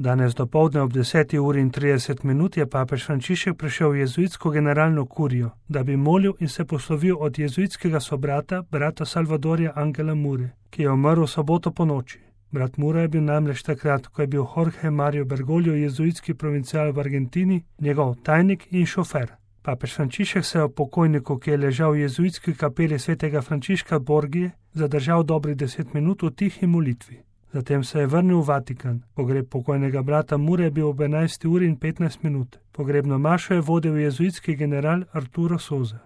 Danes dopoldne ob 10:30 je papež Frančišek prišel v jezuitsko generalno kurijo, da bi molil in se poslovil od jezuitskega sobrata, brata Salvadorja Angela Mure, ki je umrl v soboto ponoči. Brat Mura je bil namreč takrat, ko je bil Jorge Mario Bergoglio jezuitski provincial v Argentini, njegov tajnik in šofer. Papež Frančišek se je o pokojniku, ki je ležal v jezuitski kapeli svetega Frančiška Borgije, zadržal dobrih 10 minut v tihi molitvi. Zatem se je vrnil v Vatikan. Pogreb pokojnega brata Mure je bil ob 11:15. Pogrebno mašo je vodil jezuitski general Arturo Sosa.